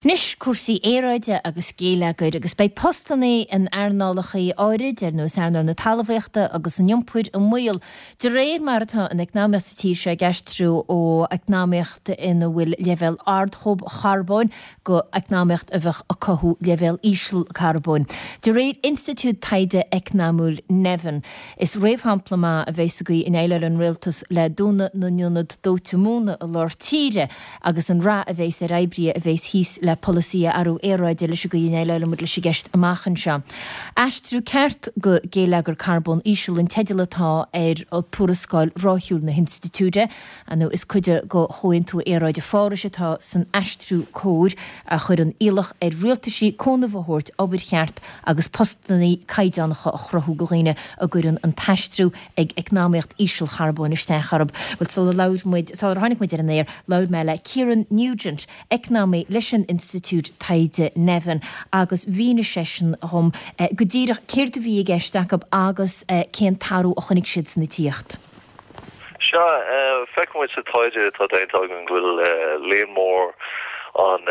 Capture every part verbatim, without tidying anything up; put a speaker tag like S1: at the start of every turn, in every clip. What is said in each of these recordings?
S1: Anois cúrsaí aeráide agus géilleagair agus beidh postanna in earnálacha áirid ar nós earnáil na talmhaíochta agus an iompair i mbaol de réir mar atá an eacnamaíocht sa tír seo ag aistriú ó eacnamaíocht ina bhfuil leibhéal ard charbóin go eacnamaíocht a bheadh ag cothú leibhéal íseal carbóin. De réir Institiúid Taighde Eacnamúil Nevin, is réamhshampla maith a bheidh sa gcaoi a ndéileálann an rialtas le dúnadh na n-ionad dóite móna i lár tíre agus an rath a bheas ar oibrithe a bheas thíos le polasaí athrú aeráide leis an gcaoi a ndéileálann muid leis an gceist amach anseo. Aistriú ceart go géilleagar carbón íseal an teideal atá ar tuarascáil ráithiúil na hinstitiúide, nó is cuid de Chomhaontú Aeráide Phárais atá san aistriú cóir a chuireann iallach ar rialtaisí cúnamh a thabhairt obair cheart agus postanna caighdeánacha a chruthú do dhaoine a gcuireann an t-aistriú ag eacnamaíocht ísealcharbóin isteach orthu. Bhuel sula labhair muid, sular tháinig muid ar an aer, labhair mé le Kieran Nugent, eacnamaí leis an Institiúid Taighde Nevin agus mhínigh seisean dhom go díreach céard a bhí i gceist acu agus cén t-athrú a chonaic siad san tíocht.
S2: Sea, feiceann muid sa taighde atá déanta againn go bhfuil líon mór an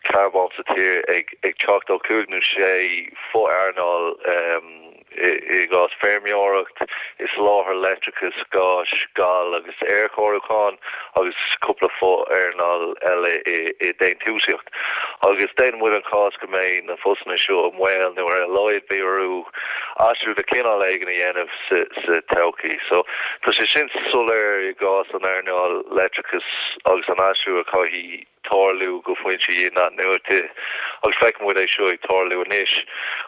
S2: carbón sa tír ag ag teacht ó cúig nó sé fo-earnáil i gcás feirmeoireacht, i soláthar leictreachais, gáis, gal agus aerchóiriúchán agus cúpla fo-earnáil eile i déantúsaíocht. Agus déanann muid an cás go mbeidh na postanna seo i mbaol nó ar a laghad beidh orthu aistriú de chineál éigin a dhéanamh sa sa todhchaí. So tá sé sin soiléir i gcás an earnáil leictreachais agus an aistriú a chaithfidh tarlú go foinsí inathnuaite agus feiceann muid é seo ag tarlú anois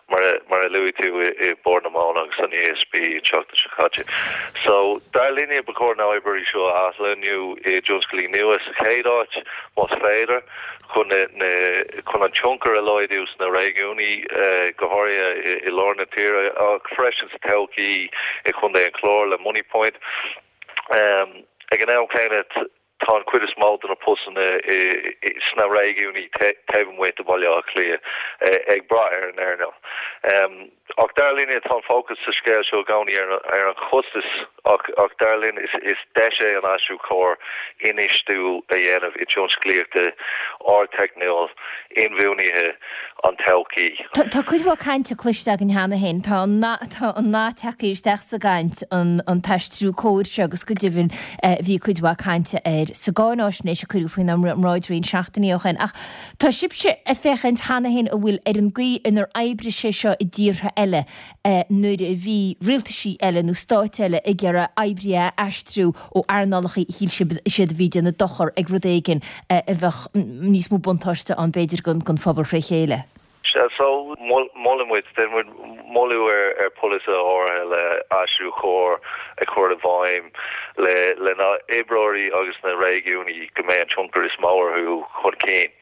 S2: mar mar a luaigh tú i Bord na Móna agus an E S B an tseachtain seo caite. So dar linne ba chóir na hoibreoirí seo a athlonnú i dtionscalaí nua sa chéad áit más féidir chun na chun an tionchar a laghdú sna réigiúin, go háirithe i lár na tíre ach freisin sa todhchaí i Contae an Chláir le Moneypoint. Um, ag an am céanna tá an chuid is mó de na postanna sna réigiúin taobh amuigh de Bhaile Átha Cliath ag brath ar an earnáil. Um, ach dar linne tá an fócas sa scéal seo i gcónaí ar, ar an chostas ach, ach dar linn is, is deis é an aistriú cóir infheistiú a dhéanamh i tionsclaíochta ardteicniúil inbhuanaithe an todhchaí.
S1: Tá cuid mhaith cainte cloiste againn cheana féin, tá an nath tagtha isteach sa gcaint an an t-aistriú cóir seo agus go deimhin bhí cuid mhaith cainte air sa gcáináisnéis a cuireadh faoinár mbráid roinnt seachtainí ó shin. Ach tá sibhse ag féachaint cheana féin an bhfuil ar an gcaoi inar oibrigh sé seo i dtíortha eile nuair a bhí rialtaisí eile nó stáit eile ag iarraidh oibrithe a aistriú ó earnálacha a shíl siad a bhí ag déanamh dochar ag rud éigin a bheadh níos mó buntáiste ann b'fhéidir don phobal fré chéile.
S2: So molann muid muid moladh ar ar polasaithe áirithe le aistriú cóir a chur i bhfeidhm le le na oibreoirí agus na réigiúin go mbeidh an tionchar is mó orthu chun cinn.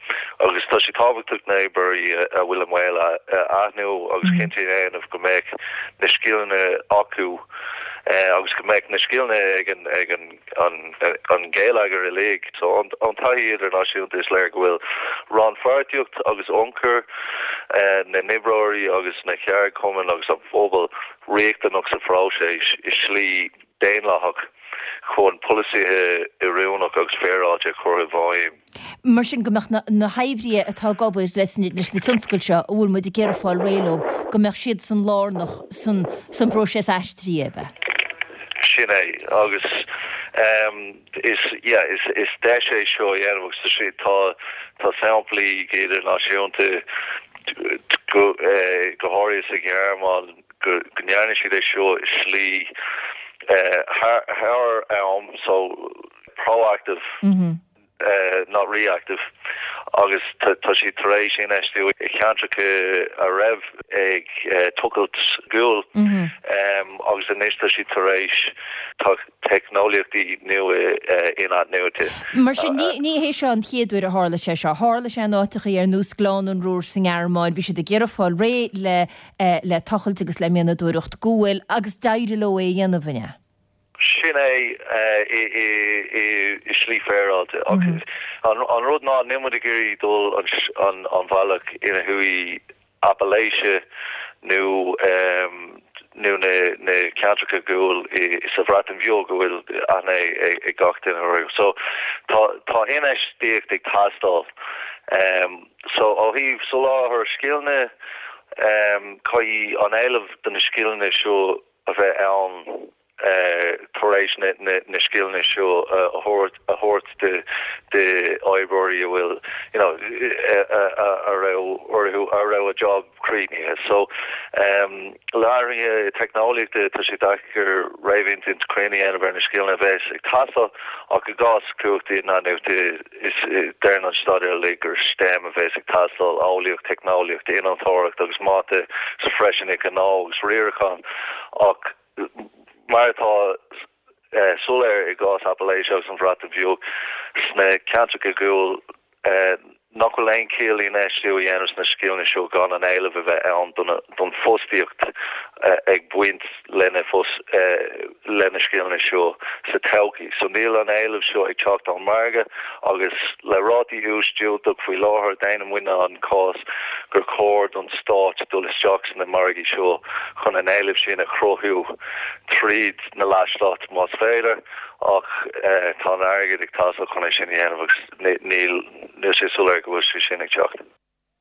S2: Agus tá sé tábhachtach na hoibreoirí a bhfuil i mbaol a aithint agus cinnte a dhéanamh go mbeidh na scileanna acu agus go mbeidh na scileanna ag an ag an an an géilleagar uilig. So an an taithí idirnáisiúnta is léir go bhfuil rannpháirtíocht agus ionchur na n-oibreoirí agus na ceardchumann agus an phobal riachtanach sa phróiseas i slí daonlathach chun polasaithe oiriúnach agus féaráilte a chur i bhfeidhm.
S1: Mar sin go mbeadh na hoibrithe atá ag obair leis na tionscail seo a bhfuil muid ag iarraidh fáil réidh leo, go mbeadh siad san lárnach san san bpróiseas aistrithe, ab ea?
S2: Sin é agus um, is yeah, is, is deis é seo a dhéanamh agus tá tá tá samplaí idirnáisiúnta go eh, go háirithe sa Ghearmáin go go ndearna siad é seo i slí eh, thar thar am, so proactive
S1: Mm -hmm.
S2: uh, not reactive, agus tá siad tar éis infheistiú i ceantracha a raibh ag uh, tochailt guail
S1: mm -hmm.
S2: um, agus anois tá siad tar éis teicneolaíochtaí nua uh, inathnuaite.
S1: Mar sin ní ní hé seo an chéad uair a tharla sé seo. Tharla sé in áiteacha ar nós Gleann an Ruhr sa nGearmáin, bhí siad ag iarraidh fáil réidh le uh, le tochailt agus le mianadóireacht guail agus d'éirigh leo é a dhéanamh inné.
S2: Sin é i slí féaráilte. An rud ná níl muid ag iarraidh dul an an bhealach ina chuaigh Appalachia nó um, nó na na ceantracha guail sa Bhreatain Bheag go bhfuil aithne ag gach duine orthu. So tá tá infheistíocht ag teastáil. Um, so ó thaobh soláthar scileanna um, caithfidh an éileamh do na scileanna seo a bheith ann uh, tar éis na, na, na scileanna seo uh, a thabhairt a thabhairt de de oibreoirí a bhfuil you know, a raibh orthu a raibh a job críochnaithe. So um, le hathruithe teicneolaíochta tá sé deacair réamhinsint cruinn a dhéanamh ar na scileanna a bheas ag teastáil ach i gcás cumhachtaí inathnuaite is deireann an staidéar le gur STEM a bheas ag teastáil eolaíocht, teicneolaíocht, innealtóireacht agus mata sa freisin i gnó agus riarachán ach mar atá uh, soiléir i gcás Appalachia agus an Bhreatain Bheag sna ceantracha guail uh, nach bhfuil aon chiall infheistiú a dhéanamh sna scileanna seo gan an éileamh a bheith ann don don fostaíocht uh, ag baint lena fos uh, lena scileanna seo sa todhchaí. So níl an éileamh seo ag teacht ón margadh agus le rátaí úis diúltach faoi láthair déanann muidne an cás gur chóir don stát dul isteach sna margaí seo chun an éileamh sin a chruthú tríd na leathstáit más féidir ach uh, tá an airgead ag teastáil chun é sin a dhéanamh agus níl níl sé soiléir go bhfuil sé sin ag teacht.